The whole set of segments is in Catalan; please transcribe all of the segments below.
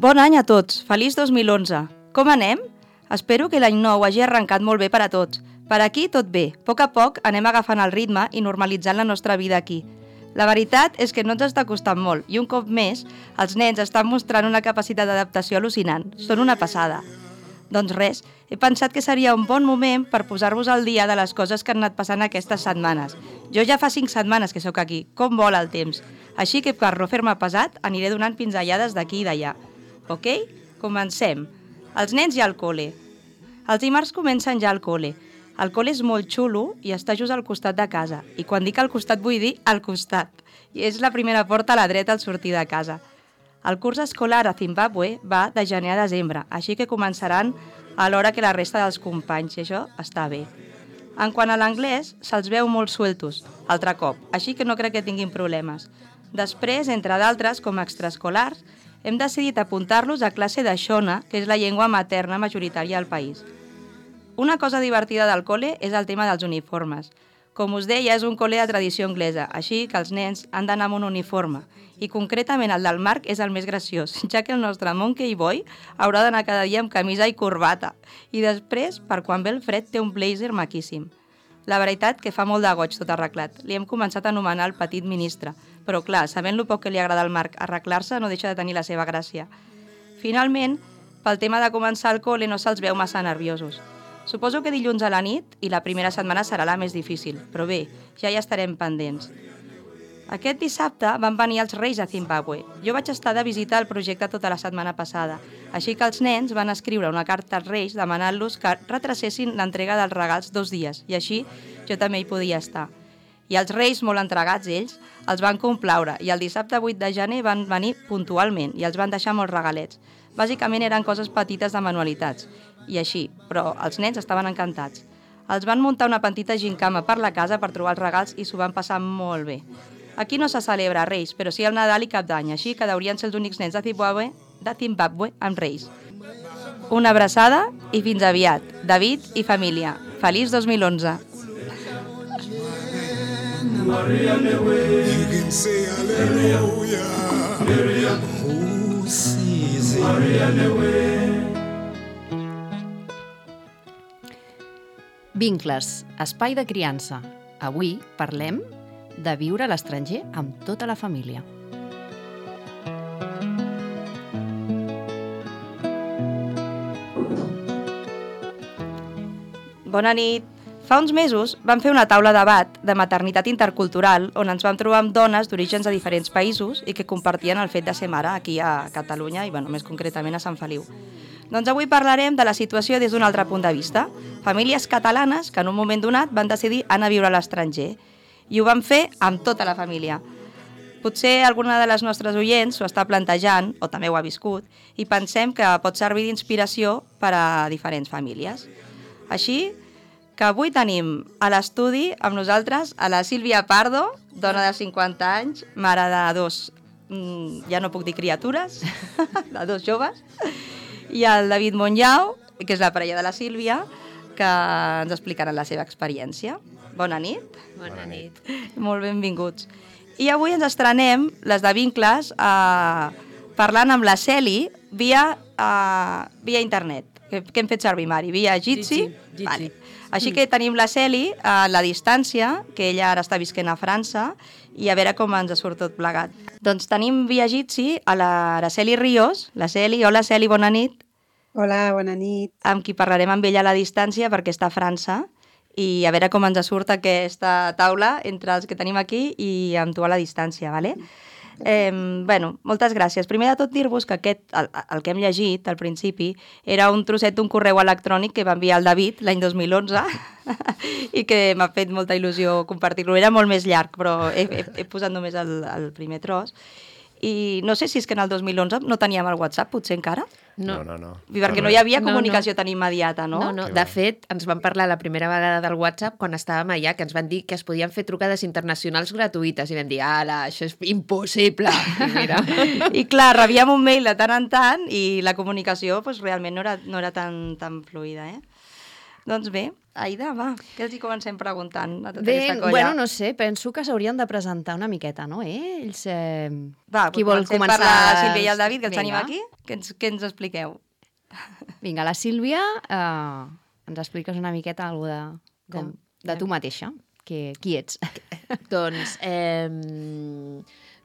Bon any a tots, feliç 2011. Com anem? Espero que l'any nou hagi arrencat molt bé per a tots. Per aquí tot bé, a poc anem agafant el ritme i normalitzant la nostra vida aquí. La veritat és que no ens està costant molt i un cop més els nens estan mostrant una capacitat d'adaptació al·lucinant. Són una passada. Doncs res, he pensat que seria un bon moment per posar-vos al dia de les coses que han anat passant aquestes setmanes. Jo ja fa 5 setmanes que sóc aquí, com vola el temps. Així que per no fer-me pesat aniré donant pinzellades d'aquí i d'allà. Ok? Comencem. Els nens ja al col·le. Els dimarts comencen ja al col·le. El col·le és molt xulo i està just al costat de casa. I quan dic al costat vull dir al costat. I és la primera porta a la dreta al sortir de casa. El curs escolar a Zimbàbue va de gener a desembre, així que començaran a l'hora que la resta dels companys, i això està bé. En quant a l'anglès, se'ls veu molt sueltos, altre cop, així que no crec que tinguin problemes. Després, entre d'altres, com a extraescolars, hem decidit apuntar-los a classe de Shona, que és la llengua materna majoritària al país. Una cosa divertida del col·le és el tema dels uniformes. Com us deia, és un col·le de tradició anglesa, així que els nens han d'anar amb un uniforme. I concretament el del Marc és el més graciós, ja que el nostre Monkey Boy haurà d'anar cada dia amb camisa i corbata. I després, per quan ve el fred, té un blazer maquíssim. La veritat que fa molt de goig tot arreglat. Li hem començat a anomenar el petit ministre. Però clar, sabent lo poc que li agrada al Marc arreglar-se, no deixa de tenir la seva gràcia. Finalment, pel tema de començar el col·le no se'ls veu massa nerviosos. Suposo que dilluns a la nit i la primera setmana serà la més difícil, però bé, ja hi estarem pendents. Aquest dissabte van venir els Reis a Zimbàbue. Jo vaig estar de visita al projecte tota la setmana passada, així que els nens van escriure una carta als Reis demanant-los que retrasessin l'entrega dels regals 2 dies, i així jo també hi podia estar. I els Reis, molt entregats ells, els van complaure i el dissabte 8 de gener van venir puntualment i els van deixar molts regalets. Bàsicament eren coses petites de manualitats, i així, però els nens estaven encantats. Els van muntar una petita gincama per la casa per trobar els regals i s'ho van passar molt bé. Aquí no se celebra Reis, però sí el Nadal i Cap d'Any, així que deurien ser els únics nens de Zimbàbue amb Reis. Una abraçada i fins aviat. David i família. Feliç 2011. Maria Lewe, you can say hallelujah. Who sees it? Maria Lewe. Vincles, espai de criança. Avui parlem de viure a l'estranger amb tota la família. Bona nit. Fa uns mesos vam fer una taula de debat de maternitat intercultural on ens vam trobar amb dones d'orígens de diferents països i que compartien el fet de ser mare aquí a Catalunya i més concretament a Sant Feliu. Doncs avui parlarem de la situació des d'un altre punt de vista. Famílies catalanes que en un moment donat van decidir anar a viure a l'estranger i ho van fer amb tota la família. Potser alguna de les nostres oients s'ho està plantejant, o també ho ha viscut, i pensem que pot servir d'inspiració per a diferents famílies. Així que avui tenim a l'estudi amb nosaltres a la Sílvia Pardo, dona de 50 anys, mare de 2, ja no puc dir criatures, de 2 joves, i el David Monllau, que és la parella de la Sílvia, que ens explicaran la seva experiència. Bona nit. Bona nit. Molt benvinguts. I avui ens estrenem, les de Vincles, parlant amb la Celi via internet. Què hem fet servir, Mari? Via Jitsi? Vale. Així que tenim la Celi a la distància, que ella ara està visquent a França, i a veure com ens surt tot plegat. Doncs tenim via Jitsi a l'Araceli Ríos. La Celi, hola Celi, bona nit. Hola, bona nit. Amb qui parlarem amb ella a la distància perquè està a França i a veure com ens surt aquesta taula entre els que tenim aquí i amb tu a la distància, ¿vale? Moltes gràcies. Primer de tot dir-vos que el que hem llegit al principi era un trosset d'un correu electrònic que va enviar el David l'any 2011 i que m'ha fet molta il·lusió compartir-lo. Era molt més llarg, però he posat només el primer tros. I no sé si és que en el 2011 no teníem el WhatsApp, potser encara? No. Perquè no hi havia comunicació tan immediata, no? No. De fet, ens van parlar la primera vegada del WhatsApp quan estàvem allà, que ens van dir que es podien fer trucades internacionals gratuïtes i vam dir, ala, això és impossible. I mira. I clar, rebíem un mail de tant en tant i la comunicació realment no era tan fluida, Doncs bé, Aida, va, què els hi comencem preguntant a tota Bé, aquesta colla? bueno, no sé, penso que s'haurien de presentar una miqueta, no? Ells, Va, qui vol comencem començar? per la Sílvia i el David, que els tenim Vinga. aquí. Què ens expliqueu? Vinga, la Sílvia, ens expliques una miqueta alguna de tu mateixa. Qui ets? Doncs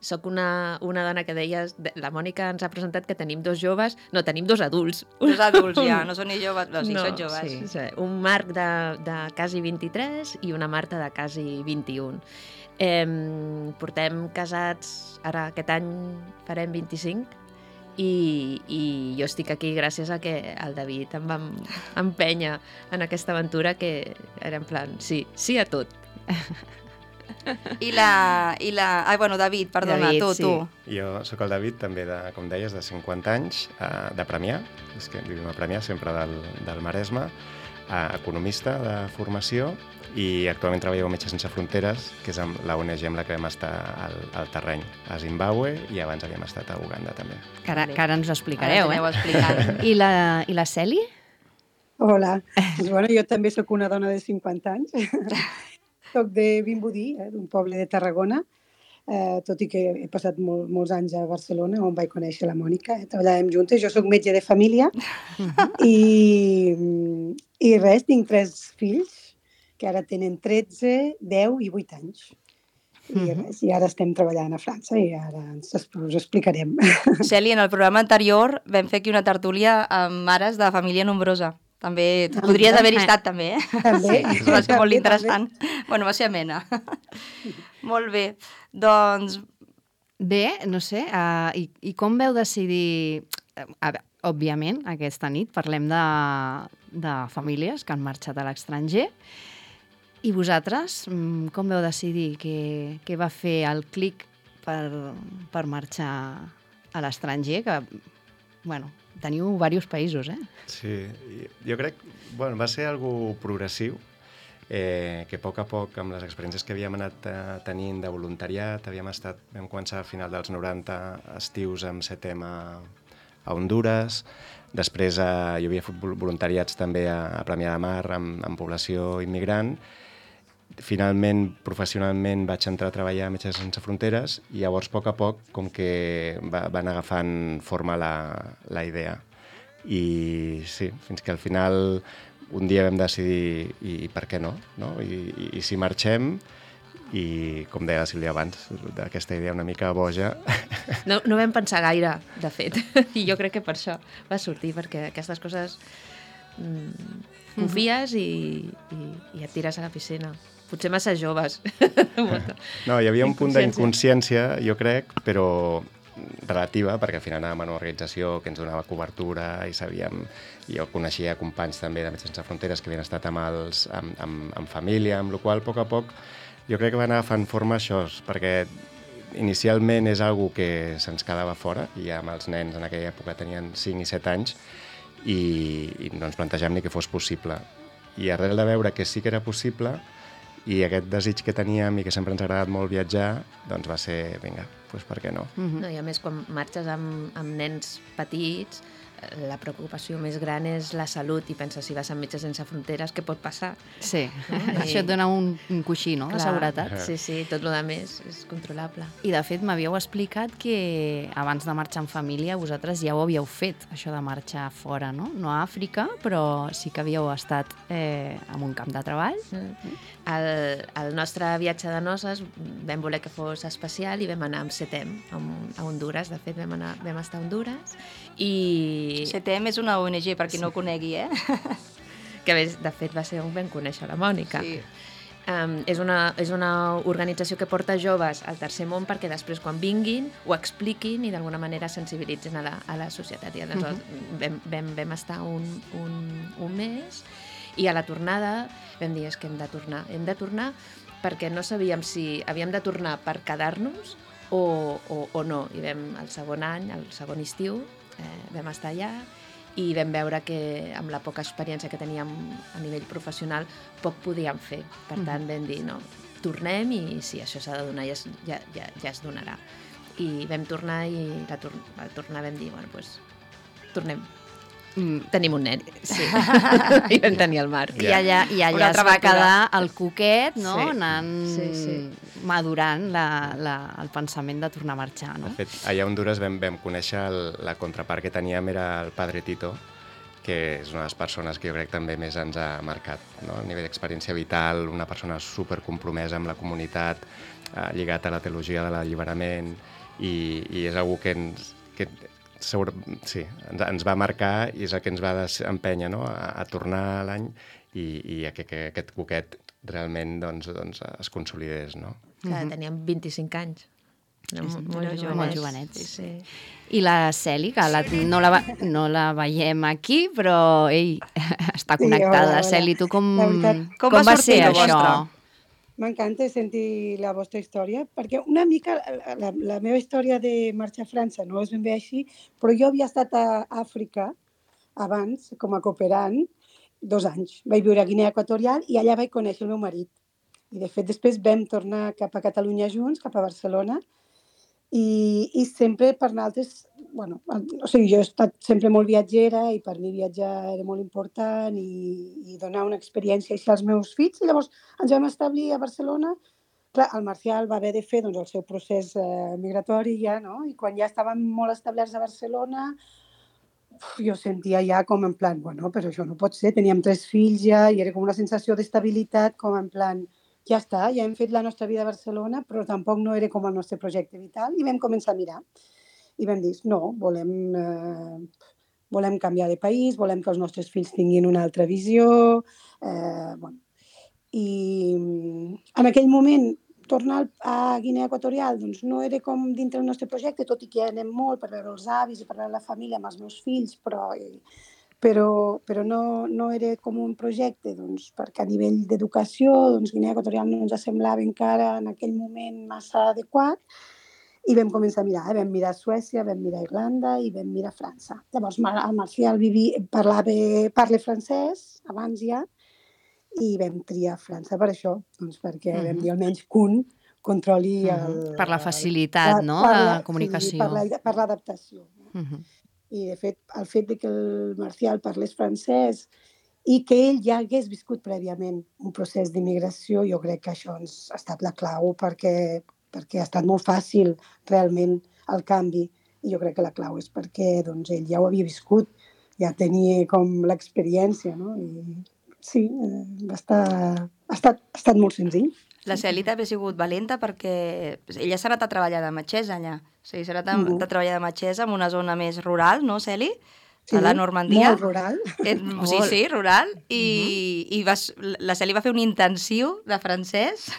soc una dona que deies... La Mònica ens ha presentat que tenim dos joves... No, tenim dos adults. Dos adults ja, no són ni joves, no, sí, són joves. Sí. Un Marc de quasi 23 i una Marta de quasi 21. Portem casats, ara aquest any farem 25, i jo estic aquí gràcies a que el David em va empènyer en aquesta aventura, que era en plan, sí a tot. Bueno, David, perdona, David, tu, sí. tu. Jo sóc el David, també, com deies, de 50 anys, de Premià, és que vivim a Premià, sempre del Maresme, economista de formació, i actualment treballo a Metges Sense Fronteres, que és la ONG amb la que vam estar al terreny, a Zimbàbue, i abans havíem estat a Uganda, també. Que ara ens ho explicareu, Ara ens aneu explicant. I la Celi? Hola. Doncs, bueno, jo també sóc una dona de 50 anys. Soc de Vimbodí, d'un poble de Tarragona, tot i que he passat molts anys a Barcelona, on vaig conèixer la Mònica. Treballàvem juntes. Jo sóc metge de família i res, tinc 3 fills que ara tenen 13, 10 i 8 anys. I ara estem treballant a França i ara us explicarem. Celi, en el programa anterior vam fer aquí una tertúlia amb mares de família nombrosa. També, tu podries haver-hi estat també, També. Sí, va ser molt interessant. Bueno, va ser amena. Molt bé, doncs... Bé, no sé, i com veu decidir... Òbviament, aquesta nit parlem de famílies que han marxat a l'estranger. I vosaltres, com veu decidir què va fer el clic per marxar a l'estranger? Que, bueno, teniu diversos països, Sí, jo crec que va ser algo progressiu, que a poc, amb les experiències que havíem anat tenint de voluntariat, vam començar a final dels 90 estius amb CETEM a Hondures, després jo havia fet voluntariats també a Premià de Mar amb població immigrant. Finalment, professionalment, vaig entrar a treballar a Metges Sense Fronteres i llavors, a poc, com que van agafant forma la idea. I sí, fins que al final un dia vam decidir i per què no? I si marxem, i com deia la Sílvia abans, d'aquesta idea una mica boja. No vam pensar gaire, de fet, i jo crec que per això va sortir, perquè aquestes coses confies i et tires a la piscina. Potser massa joves. No, hi havia un punt d'inconsciència, jo crec, però relativa, perquè al final anàvem a una organització que ens donava cobertura i sabíem, jo coneixia companys també de Metges Sense Fronteres que havien estat amb família, amb la qual cosa, a poc, jo crec que va anar fent forma això, perquè inicialment és algo que se'ns quedava fora, i amb els nens en aquella època tenien 5 i 7 anys, i no ens plantegem ni que fos possible. I arrel de veure que sí que era possible, i aquest desig que teníem i que sempre ens ha agradat molt viatjar, doncs va ser, vinga, doncs per què no? No, i a més, quan marxes amb nens petits, la preocupació més gran és la salut, i penses, si vas amb Metges Sense Fronteres, què pot passar? Sí, això et dona un coixí, no?, de seguretat. Sí, tot el més és controlable. I de fet m'havíeu explicat que abans de marxar en família vosaltres ja ho havíeu fet, això de marxar fora, no? No a Àfrica, però sí que havíeu estat en un camp de treball. El nostre viatge de noces vam voler que fos especial i vam anar amb CETEM a Hondures. De fet, vam estar a Hondures i... CETEM és una ONG, per qui no ho conegui, Que, de fet, va ser on vam conèixer la Mònica. Sí. És una organització que porta joves al tercer món perquè després, quan vinguin, ho expliquin i d'alguna manera sensibilitzen a la societat. I aleshores vam estar un mes, i a la tornada vam dir que hem de tornar perquè no sabíem si havíem de tornar per quedar-nos o no. I el segon any, el segon estiu, vam estar allà i vam veure que amb la poca experiència que teníem a nivell professional poc podíem fer. Per tant, vam dir, no, tornem, i si això s'ha de donar ja es donarà. I vam tornar, i al tornar vam dir, bueno, doncs tornem. Tenim un nen. Sí. I vam tenir el Marc. I allà Una es altra va aventura. quedar el coquet, no? Sí. Anant madurant el pensament de tornar a marxar, no? De fet, allà a Honduras vam conèixer la contrapart que teníem era el Padre Tito, que és una de les persones que jo crec també més ens ha marcat, no? A nivell d'experiència vital, una persona supercompromesa amb la comunitat, lligat a la teologia de l'alliberament, i és algú que ens va marcar i és el que ens va empènyer, no? a tornar a l'any i a que aquest coquet realment doncs, es consolidés. No? Clar, teníem 25 anys. Molt jovenets. Sí. I la Celi, que no la veiem aquí, però està connectada. hola. Celi, tu com Com va va sortir ser lo això? vostre? M'encanta sentir la vostra història, perquè una mica la meva història de marxar a França no és ben bé així, però jo havia estat a Àfrica abans, com a cooperant, 2 anys. Vaig viure a Guinea Equatorial i allà vaig conèixer el meu marit. I, de fet, després vam tornar cap a Catalunya junts, cap a Barcelona, i sempre per nosaltres, jo he estat sempre molt viatgera i per mi viatjar era molt important i donar una experiència així als meus fills. I llavors ens vam establir a Barcelona. Clar, el Marcial va haver de fer el seu procés migratori ja, no? I quan ja estàvem molt establerts a Barcelona, jo sentia ja com en plan, però això no pot ser, teníem 3 fills ja i era com una sensació d'estabilitat, com en plan, ja està, ja hem fet la nostra vida a Barcelona, però tampoc no era com el nostre projecte vital, i vam començar a mirar. I vam dir, no, volem canviar de país, volem que els nostres fills tinguin una altra visió. I en aquell moment, tornar a Guinea Equatorial doncs, no era com dintre del nostre projecte, tot i que anem molt per veure els avis i per veure la família amb els meus fills, però no era com un projecte, doncs, perquè a nivell d'educació Guinea Equatorial no ens semblava encara en aquell moment massa adequat, i vam començar a mirar. Vam mirar Suècia, vam mirar Irlanda i vam mirar França. Llavors el Marcial parla francès abans ja, i vam triar França per això, perquè vam dir almenys que un controli per la facilitat, no?, de comunicació. Sí, per l'adaptació. I, de fet, el fet que el Marcial parlés francès i que ell ja hagués viscut prèviament un procés d'immigració, jo crec que això ha estat la clau perquè ha estat molt fàcil realment el canvi. I jo crec que la clau és perquè ell ja ho havia viscut, ja tenia com l'experiència, no? I sí, ha estat molt senzill. La Celi també ha sigut valenta perquè ella s'ha anat a treballar de metgessa allà. O sigui, s'ha anat a treballar de metgessa en una zona més rural, no, Celi? Sí, a la Normandia. Molt rural. Sí, rural. I la Celi va fer un intensiu de francès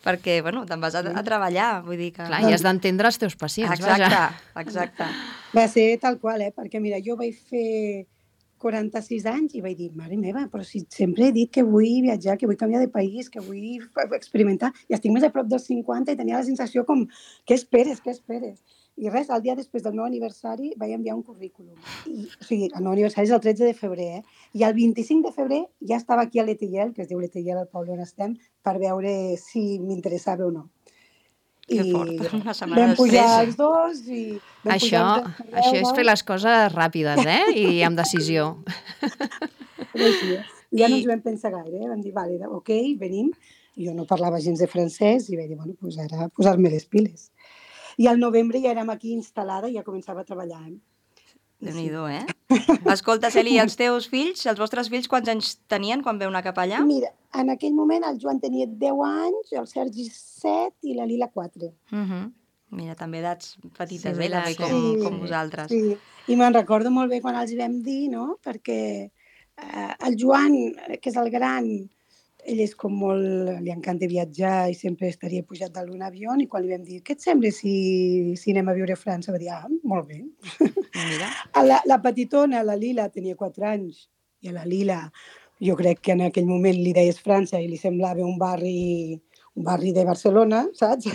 perquè, te'n vas a treballar, vull dir que... Clar, i has d'entendre els teus pacients, vaja. Exacte. Va ser tal qual, perquè mira, jo vaig fer 46 anys i vaig dir, mare meva, però si sempre he dit que vull viatjar, que vull canviar de país, que vull experimentar, i estic més a prop dels 50 i tenia la sensació com, què esperes? I res, el dia després del meu aniversari vaig enviar un currículum. O sigui, el meu aniversari és el 13 de febrer, i el 25 de febrer ja estava aquí a l'Etillel, que es diu l'Etillel al poble on estem, per veure si m'interessava o no. Que fort, una setmana vam pujar després. els dos i... Això és fer les coses ràpides, i amb decisió. Ja no ens vam pensar gaire, vam dir, vale, ok, venim. Jo no parlava gens de francès i vaig dir, doncs ara posar-me les piles. I al novembre ja érem aquí instal·lada i ja començava a treballar. Déu-n'hi-do, Escolta, Celi, i els teus fills, els vostres fills, quants anys tenien quan veu anar cap allà? Mira, en aquell moment el Joan tenia 10 anys, el Sergi 7 i la Lila 4. Mira, també edats petites, Sí, també com vosaltres. Sí, i me'n recordo molt bé quan els vam dir, no?, perquè el Joan, que és el gran, ell és com molt... li encanta viatjar i sempre estaria pujat dalt d'un avió, i quan li vam dir, què et sembla si anem a viure a França? Va dir, molt bé. Mira. La petitona, la Lila, tenia 4 anys, i a la Lila jo crec que en aquell moment li deies França i li semblava un barri de Barcelona, saps?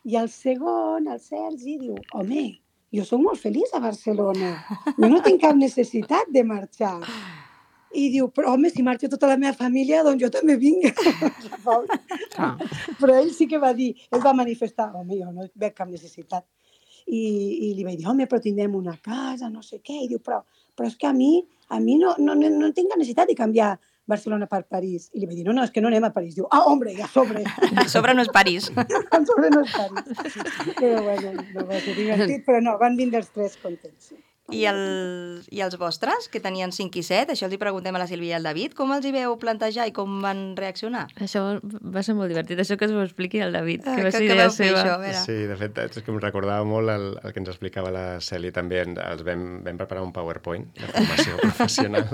I el segon, el Sergi, diu, home, jo soc molt feliç a Barcelona, jo no tinc cap necessitat de marxar. I diu, però home, si marxa tota la meva família, doncs jo també vinc. Però ell sí que va dir, ell va manifestar, home, jo no veig cap necessitat. I li vaig dir, home, però tindrem una casa, no sé què. I diu, però és que a mi no tinc necessitat de canviar Barcelona per París. I li vaig dir, no, és que no anem a París. Diu, hombre, ja sobre. A sobre no és París. A sobre no és París. Però bueno, no va ser divertit, però no, van vindre els tres contents. I els vostres, que tenien 5 i 7, això els hi preguntem a la Sílvia i al David, com els hi veu plantejar i com van reaccionar? Això va ser molt divertit, això que us ho expliqui el David, que va que ser idea vau fer seva. això, a veure. Sí, de fet, és que em recordava molt el que ens explicava la Celi també. Els vam preparar un PowerPoint de formació professional.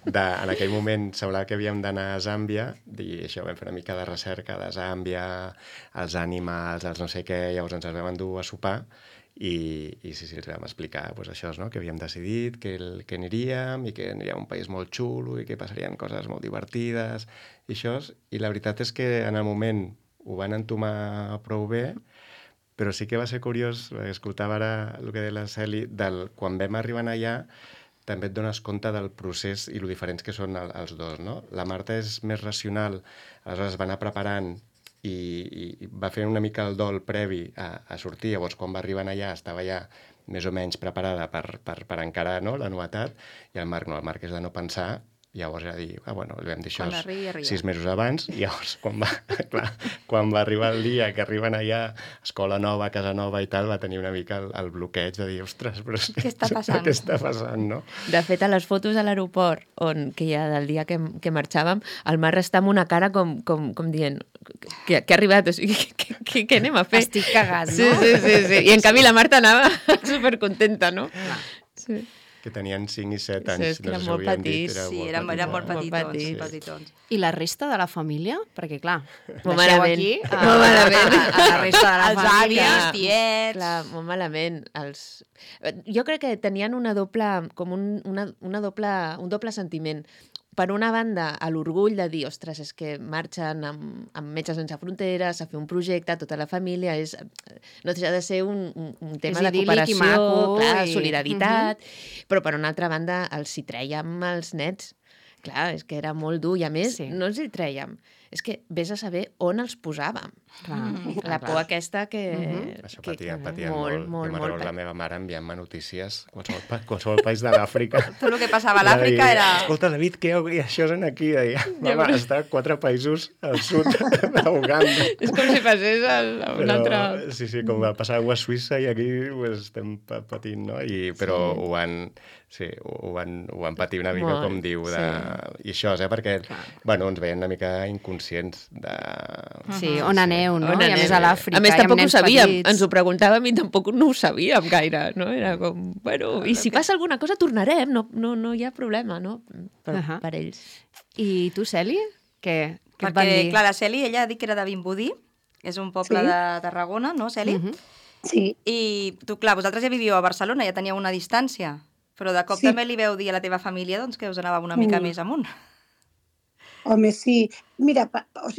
En aquell moment semblava que havíem d'anar a Zàmbia i això, vam fer una mica de recerca de Zàmbia, els animals, els no sé què, llavors ens els vam endur a sopar i sí, els vam explicar doncs, això, no? Que havíem decidit que aniríem i que aniríem a un país molt xulo i que passarien coses molt divertides i això. I la veritat és que en el moment ho van entomar prou bé, però sí que va ser curiós, escoltava ara el que deia la Celi, quan vam arribar allà també et dones compte del procés i lo diferents que són els dos, no? La Marta és més racional, aleshores va anar preparant i va fer una mica el dol previ a sortir. Llavors, quan va arribar allà, estava ja més o menys preparada per encarar, no?, la novetat, i el Marc no, el Marc és de no pensar. Llavors era dir, bueno, li vam dir això 6 mesos abans, i llavors quan va arribar el dia que arriben allà, escola nova, casa nova i tal, va tenir una mica el bloqueig de dir, ostres, però què està passant? Què està passant, no? De fet, a les fotos a l'aeroport, que hi ha del dia que marxàvem, el Marc està amb una cara com dient que ha arribat, o sigui, què anem a fer? Estic cagant, no? Sí. I en canvi la Marta anava supercontenta, no? Sí. Que tenien 5 i 7 anys. Sí, que eren molt petits. Sí, eren molt petitons. I la resta de la família? Perquè, clar, molt deixeu malament. aquí Molt malament. A la resta de la els família. avis, tiets... Clar, molt malament. Jo crec que tenien un doble sentiment. Per una banda, l'orgull de dir, ostres, és que marxen amb Metges Sense Fronteres a fer un projecte, tota la família, no deixa de ser un tema de cooperació, maco, clar, solidaritat, però per una altra banda els hi trèiem els nets. Clar, és que era molt dur, i a més no els hi trèiem. És que vés a saber on els posàvem. La por aquesta que... Això patien molt. Molt. Jo m'agrada la meva mare enviant-me notícies, qualsevol país de l'Àfrica. Tot el que passava a l'Àfrica era... Escolta, David, què això és aquí? Deia, mama, està a 4 països al sud d'Uganda. És com si passés a un altre... Sí, com va passar a Suïssa i aquí estem patint, no? Però ho van patir una mica, com diu, i això, perquè, bueno, ens veien una mica inconscients de... Sí, on aneu, no? I a més a l'Àfrica. A més, tampoc ho sabíem. Ens ho preguntàvem i tampoc no ho sabíem gaire, no? Era com, bueno, i si passa alguna cosa tornarem, no hi ha problema, no? Però per ells. I tu, Celi? Què et van Perquè, dir? clar, la Celi, ella ha dit que era de Vimbodí, és un poble de Tarragona, no, Celi? Sí. I tu, clar, vosaltres ja vivíeu a Barcelona, ja teníeu una distància, però de cop també li veu dir a la teva família doncs, que us anàveu una mica més amunt. Home, sí. Mira,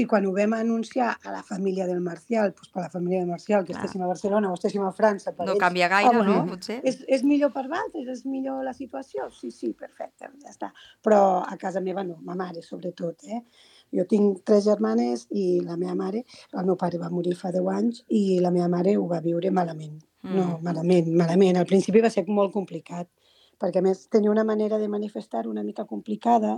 quan ho vam anunciar a la família del Marcial, doncs per la família del Marcial, que estéssim a Barcelona o estéssim a França... No canvia gaire, no? Potser. És millor per vosaltres? És millor la situació? Sí, perfecte, ja està. Però a casa meva no, ma mare sobretot, Jo tinc 3 germanes i la meva mare, el meu pare va morir fa 10 anys i la meva mare ho va viure malament. No, malament. Al principi va ser molt complicat, perquè a més tenia una manera de manifestar una mica complicada,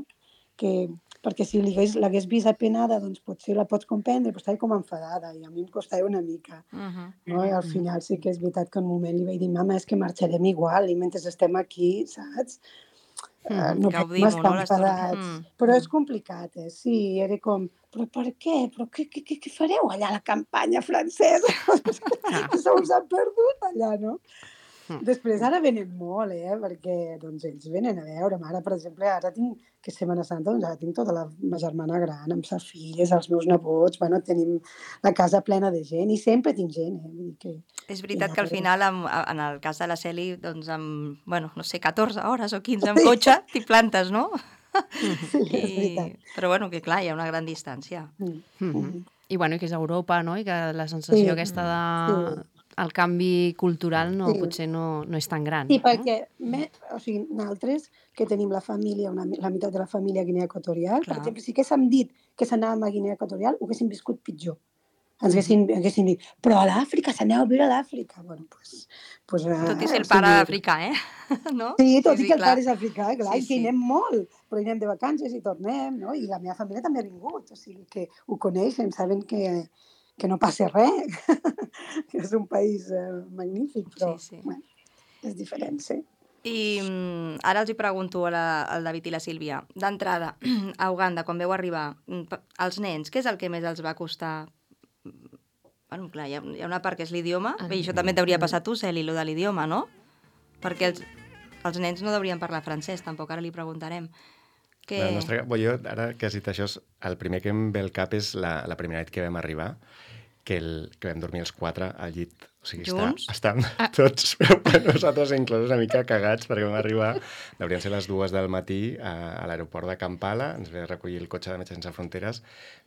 perquè si l'hagués vist apenada, doncs potser la pots comprendre, però estava com enfadada i a mi em costava una mica. No? I al final sí que és veritat que en un moment li vaig dir, mama, és que marxarem igual i mentre estem aquí, saps? No podem estar enfadats. Però és complicat, Sí, era com, però per què? Però què fareu allà a la campanya francesa? Se us ha perdut allà, no? Després ara venen molt, perquè doncs, ells venen a veure. Ara, per exemple, ara tinc, que és Setmana Santa, doncs ara tinc tota la meva germana gran, amb ses filles, els meus nebots, tenim la casa plena de gent, i sempre tinc gent. Vull dir que... És veritat que al final, en el cas de la Celi, doncs amb, no sé, 14 hores o 15 amb cotxe, t'hi plantes, no? Sí, és veritat. Però que clar, hi ha una gran distància. I que és Europa, no? I que la sensació aquesta de... El canvi cultural potser no és tan gran. Sí, perquè nosaltres, que tenim la família, la meitat de la família a Guinea Equatorial, per exemple, si haguéssim dit que s'anàvem a Guinea Equatorial, ho haguéssim viscut pitjor. ens haguessin dit, però a l'Àfrica, s'aneu a viure a l'Àfrica. Bueno, doncs... Tot i ser el pare africà, no? Sí, tot i que el clar. pare és africà, clar, Sí, i que hi sí. anem molt, però hi anem de vacances i tornem, no? I la meva família també ha vingut, o sigui que ho coneixen, saben que no passa res, que és un país magnífic, però Sí. bueno, és diferent, sí. I ara els hi pregunto al David i la Sílvia. D'entrada, a Uganda, quan veu arribar, els nens, què és el que més els va costar? Bueno, clar, hi ha una part que és l'idioma, i això també et deuria passar a tu, Celi, lo de l'idioma, no? Perquè els nens no deurien parlar francès, tampoc, ara li preguntarem. Jo, ara que has dit això, el primer que em ve al cap és la primera nit que vam arribar, que vam dormir els 4 al llit. O sigui, estan tots, però nosaltres inclòs una mica cagats, perquè vam arribar, deurien ser les 2 del matí a l'aeroport de Kampala, ens ve a recollir el cotxe de Metges Sense Fronteres,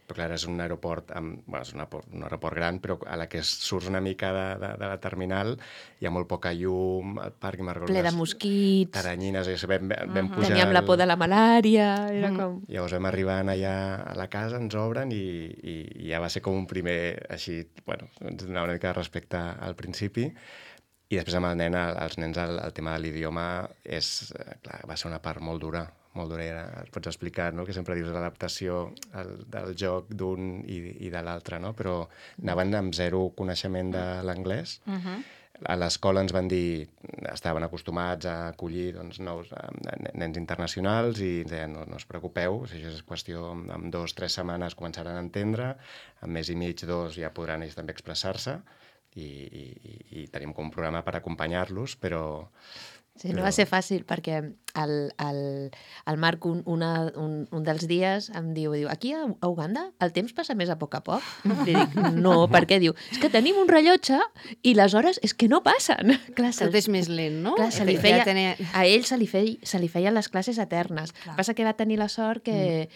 però clar, és un aeroport, és un aeroport gran, però a la que surts una mica de la terminal hi ha molt poca llum, el parc Margolles... Ple de mosquits... Taranyines, vam pujar... Teníem la por de la malària, era com... Llavors vam arribar allà a la casa, ens obren i ja va ser com un primer, així, bueno, ens donava una mica de respecte al principi, i després amb el nen, els nens, el tema de l'idioma clar, va ser una part molt dura, et pots explicar, no?, que sempre dius l'adaptació del joc d'un i de l'altre, no?, però anaven amb 0 coneixement de l'anglès. A l'escola ens van dir, estaven acostumats a acollir nous nens internacionals i ens deien, no us preocupeu, si això és qüestió, en 2 o 3 setmanes començaran a entendre, en mes i mig, 2 ja podran ells també expressar-se i tenim com un programa per acompanyar-los, però... Sí, no va ser fàcil, perquè el Marc un dels dies em diu, aquí a Uganda el temps passa més a poc. Li dic, no, per què? Diu, és que tenim un rellotge i les hores és que no passen. Clar, tot és més lent, no? Clar, a ell se li feien les classes eternes. Passa que va tenir la sort que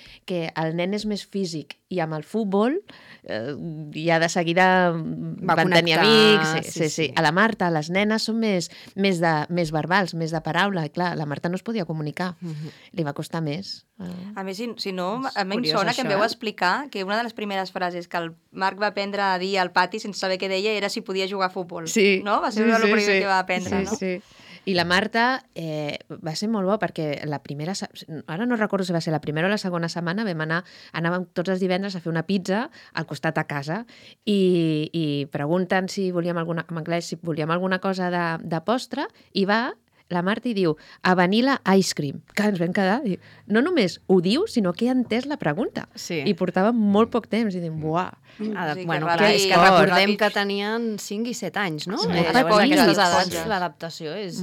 el nen és més físic i amb el futbol ja de seguida van tenir amics. Sí. A la Marta, les nenes són més verbals, més de paraula, i clar, la Marta no es podia comunicar. Li va costar més. A més, si no, a mi em sona que em veu explicar que una de les primeres frases que el Marc va aprendre a dir al pati sense saber què deia era si podia jugar a futbol. Sí. No? Va ser el primer que va aprendre, no? Sí. I la Marta va ser molt bo perquè la primera... Ara no recordo si va ser la primera o la segona setmana, anàvem tots els divendres a fer una pizza al costat a casa i pregunten si volíem en anglès, si volíem alguna cosa de postre, i va la Marta i diu, a vanilla ice cream. Que ens vam quedar, i no només ho diu, sinó que ha entès la pregunta. Sí. I portava molt poc temps, i diuen, buah. Bueno, clar, és que recordem que tenien 5 i 7 anys, no? L'adaptació és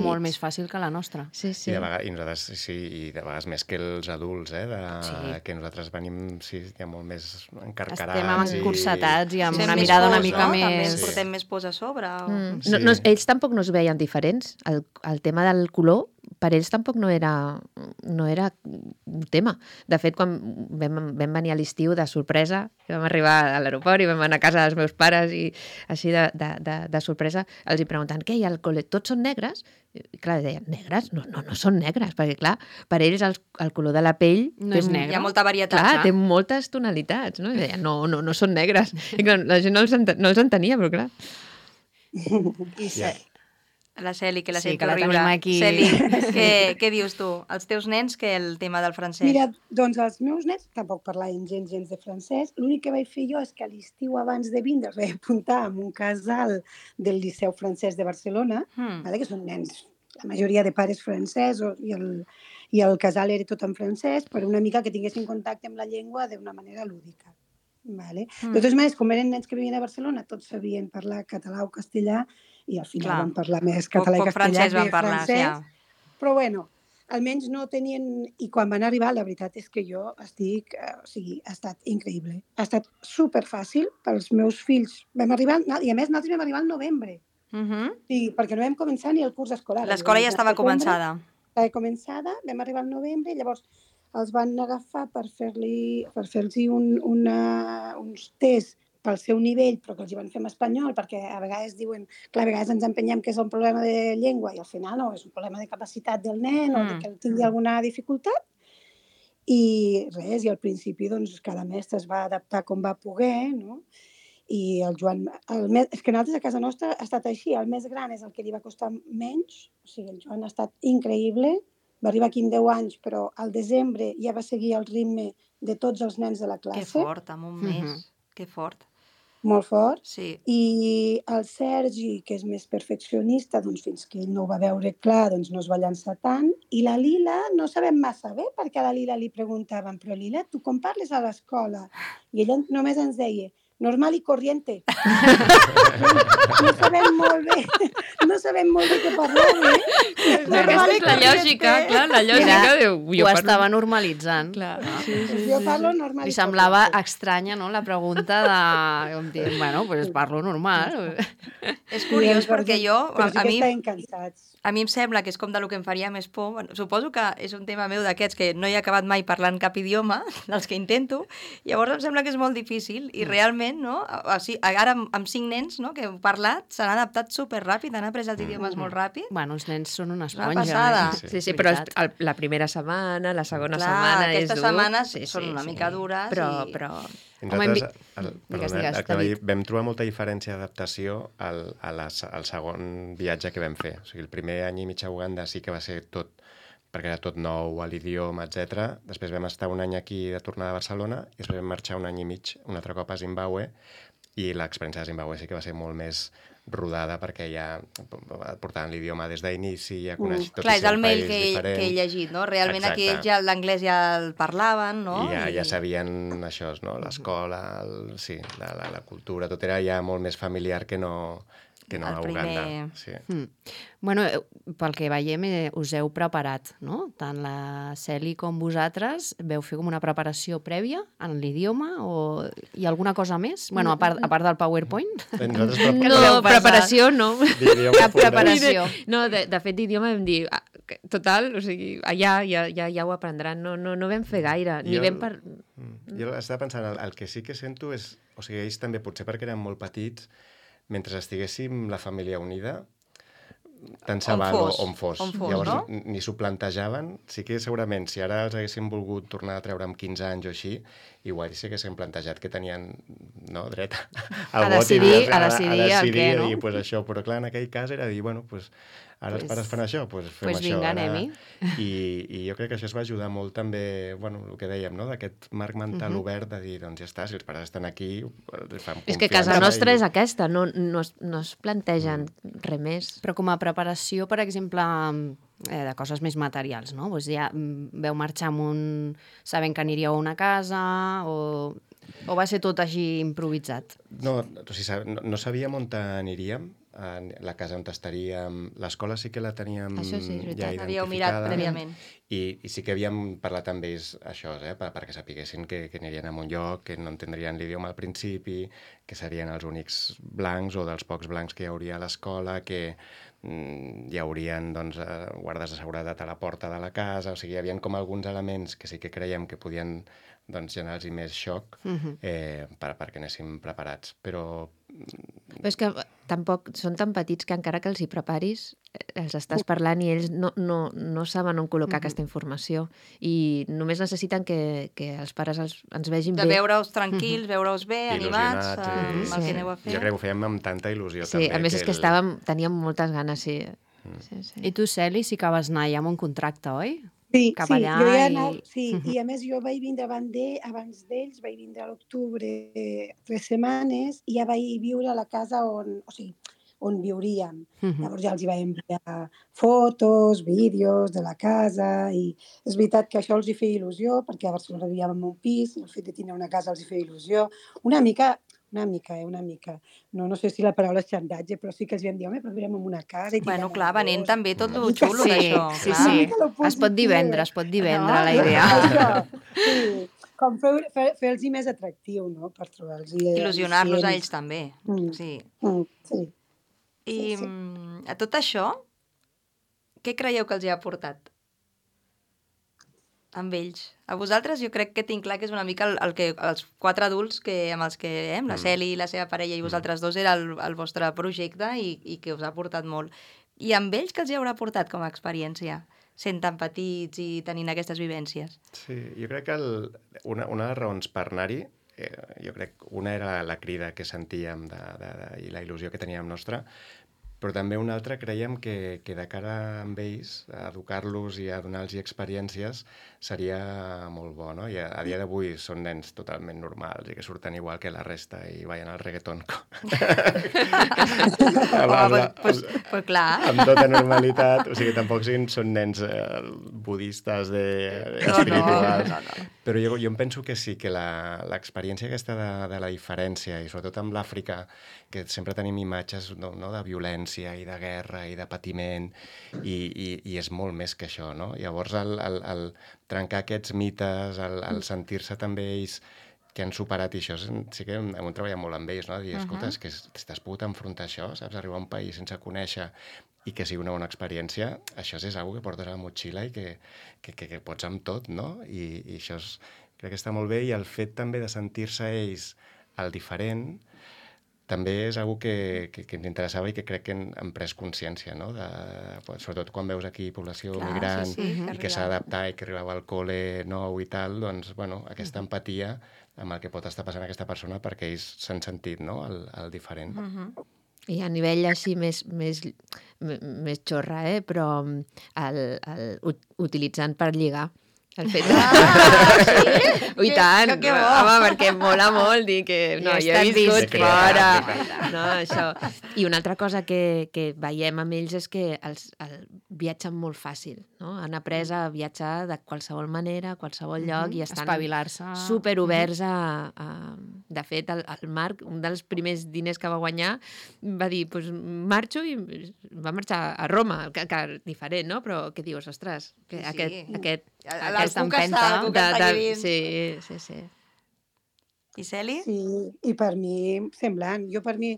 molt més fàcil que la nostra. Sí. I de vegades més que els adults, que nosaltres venim ja molt més encarcarats. Estem encursetats i amb una mirada una mica més... També ens portem més pors a sobre. Ells tampoc no es veien diferents. El tema del color, per ells tampoc no era un tema. De fet, quan vam venir a l'estiu de sorpresa, vam arribar a l'aeroport i vam anar a casa dels meus pares i així de sorpresa, els hi preguntant, què hi ha al col·le? Tots són negres? I clar, deien, negres? No són negres, perquè clar, per ells el color de la pell... No és negre. Hi ha molta varietat. Clar, té moltes tonalitats, no? I deien, no són negres. I clar, la gent no els entenia, però clar... La Celi, que la sí, sento que la riure. tenim aquí. Celi, què dius tu? Els teus nens, que el tema del francès? Mira, doncs els meus nens tampoc parlaven gens de francès. L'únic que vaig fer jo és que a l'estiu abans de vindre vaig apuntar en un casal del Liceu Francès de Barcelona, que són nens, la majoria de pares francesos, i el casal era tot en francès, per una mica que tinguessin contacte amb la llengua d'una manera lúdica. De totes maneres, com eren nens que vivien a Barcelona, tots sabien parlar català o castellà, i al final van parlar més català i castellà que francès. Però bueno, almenys no tenien... I quan van arribar, la veritat és que jo estic... ha estat increïble. Ha estat superfàcil pels meus fills. Vam arribar... I a més, nosaltres vam arribar al novembre. Perquè no vam començar ni el curs escolar. L'escola ja estava començada. Estava començada, vam arribar al novembre, i llavors els van agafar per fer-los uns tests pel seu nivell, però que els hi van fer en espanyol, perquè a vegades diuen, clar, a vegades ens empenyem que és un problema de llengua, i al final no, és un problema de capacitat del nen o de que tingui alguna dificultat. I res, i al principi doncs, cada mestre es va adaptar com va poder, no? I el Joan, és que nosaltres a casa nostra ha estat així, el més gran és el que li va costar menys, o sigui, el Joan ha estat increïble, va arribar aquí en 10 anys, però al desembre ja va seguir el ritme de tots els nens de la classe. Que fort, amb un mes, que fort. Molt fort. Sí. I el Sergi, que és més perfeccionista, doncs fins que ell no ho va veure clar, doncs no es va llançar tant. I la Lila no sabem massa bé, perquè a la Lila li preguntaven, però Lila, tu com parles a l'escola? I ella només ens deia, normal i corriente. No sabem molt bé què parlar, Aquesta és la lògica, clar, la lògica diu... Ho estava normalitzant. Clar. Jo parlo normal Li i semblava corriente. estranya, no?, la pregunta de... Com dir, bueno, pues parlo normal. És curiós perquè jo... Però sí que estaven cansats. A mi em sembla que és com de lo que em faria més por. Bueno, suposo que és un tema meu d'aquests que no he acabat mai parlant cap idioma, dels que intento, llavors em sembla que és molt difícil i realment, no? O sigui, ara amb 5 nens, no?, que heu parlat, s'han adaptat superràpid, han après els idiomes molt ràpid. Bueno, els nens són una Una esponja. passada. Sí, però la primera setmana, la segona setmana és dur. Aquestes setmanes són una mica dures. Però... Nosaltres Digues, vam trobar molta diferència d'adaptació al segon viatge que vam fer. O sigui, el primer any i mig a Uganda sí que va ser tot, perquè era tot nou, a l'idioma, etc. Després vam estar un any aquí de tornada a Barcelona i després vam marxar un any i mig un altre cop a Zimbabue i l'experiència de Zimbabue sí que va ser molt més rodada perquè ja portaven l'idioma des d'inici, ja coneix tot Clar, i és ser el un mail país diferent. que he llegit, no? Realment Exacte. aquí ells ja l'anglès ja el parlaven, no? I ja sabien això, no? L'escola, sí, la cultura, tot era ja molt més familiar que no a Uganda. Sí. Bueno, pel que veiem, us heu preparat, no? Tant la Celi com vosaltres veu fer com una preparació prèvia en l'idioma o hi ha alguna cosa més? Bueno, a part del PowerPoint. No, preparació no. Cap preparació. No, de fet, d'idioma vam dir, total, o sigui, allà ja ho aprendran. No vam fer gaire. Jo estava pensant, el que sí que sento és, o sigui, ells també, potser perquè eren molt petits, mentre estiguéssim la família unida, tant se val on fos. Llavors, no? Ni s'ho plantejaven. Sí que segurament, si ara els haguéssim volgut tornar a treure amb 15 anys o així, igual sí que haguéssim plantejat que tenien dret a decidir el què, no? I pues això, però clar, en aquell cas era dir, bueno, pues, ara els pares fan això, doncs fem això. Vinga, anem-hi. I jo crec que això es va ajudar molt també, bueno, el que dèiem, no?, d'aquest marc mental obert de dir, doncs ja està, si els pares estan aquí, els fem confiança. És que casa nostra és aquesta, no es plantegen res més. Però com a preparació, per exemple, de coses més materials, no? Doncs ja veu marxar sabent que aniríeu a una casa o va ser tot així improvisat? No sabíem on aniríem, la casa on estaríem, l'escola sí que la teníem això sí, ja identificada. Havíeu mirat prèviament. I sí que havíem parlat amb ells això, perquè sapiguessin que anirien a un lloc, que no entendrien l'idioma al principi, que serien els únics blancs o dels pocs blancs que hi hauria a l'escola, que hi haurien guardes de seguretat a la porta de la casa, o sigui, hi havia com alguns elements que sí que creiem que podien generar-los més xoc perquè anéssim preparats, però és que tampoc són tan petits que encara que els hi preparis els estàs parlant i ells no saben on col·locar aquesta informació i només necessiten que els pares ens vegin bé. De veure-us tranquils, veure-us bé, animats, amb el que aneu a fer. Jo crec que ho fèiem amb tanta il·lusió també. Sí, a més és que teníem moltes ganes, sí. I tu, Celi, sí que vas anar ja amb un contracte, oi? Sí, cap allà jo ja anava, i a més jo vaig vindre abans d'ells, vaig vindre a l'octubre 3 setmanes i ja vaig viure a la casa on viuríem. Llavors ja els hi vaig enviar fotos, vídeos de la casa i és veritat que això els hi feia il·lusió perquè a Barcelona vivíem en un pis i el fet de tenir una casa els hi feia il·lusió. Una mica. No sé si la paraula és xantatge, però sí que els vam dir, home, però viurem en una casa. Bueno, clar, venent també tot lo xulo d'això. Sí. Es pot dir vendre la idea. Sí, com fer-los més atractiu, no?, per trobar-los. Il·lusionar-los a ells també, sí. I a tot això, què creieu que els hi ha aportat? Amb ells. A vosaltres jo crec que tinc clar que és una mica els 4 adults amb els que la Celi, la seva parella i vosaltres dos era el vostre projecte i que us ha aportat molt. I amb ells què els hi haurà aportat com a experiència, sent tan petits i tenint aquestes vivències? Sí, jo crec que una de les raons per anar-hi jo crec, una era la crida que sentíem i la il·lusió que teníem nostra, però també una altra creiem que de cara amb ells, a educar-los i a donar-los experiències seria molt bo, no? I a dia d'avui són nens totalment normals i que surten igual que la resta i ballen al reggaeton. Pues clar. Amb tota normalitat. O sigui, tampoc són nens budistes espirituals. No. Però jo em penso que sí, que l'experiència aquesta de la diferència, i sobretot amb l'Àfrica, que sempre tenim imatges no, de violència i de guerra i de patiment, i és molt més que això, no? Llavors, el trencar aquests mites, el sentir-se també ells que han superat, i això sí que hem treballat molt amb ells, no? Dir, escolta, és que t'has pogut enfrontar a això, saps? Arribar a un país sense conèixer i que sigui una bona experiència, això és una que portes a la motxilla i que pots amb tot, no? I això crec que està molt bé, i el fet també de sentir-se ells el diferent també és una que ens interessava i que crec que hem pres consciència, no? Sobretot quan veus aquí població migrant i que s'ha d'adaptar i que arribava al col·le nou i tal, doncs, bueno, aquesta empatia amb el que pot estar passant aquesta persona perquè ells s'han sentit, no?, el diferent. I a nivell així més xorra, però utilitzant per lligar. El fet de... sí? I tant, que bo. home, perquè mola molt dir que no, jo he viscut fora. No, això. I una altra cosa que veiem amb ells és que viatgen molt fàcil, no? Han après a viatjar de qualsevol manera, a qualsevol lloc, i estan espavilar-se. superoberts a... De fet, el Marc, un dels primers diners que va guanyar, va dir, doncs marxo, i va marxar a Roma, que diferent, no? Però què dius, ostres, que aquesta empenta sí. I Celi? Sí, i per mi, semblant. Per mi,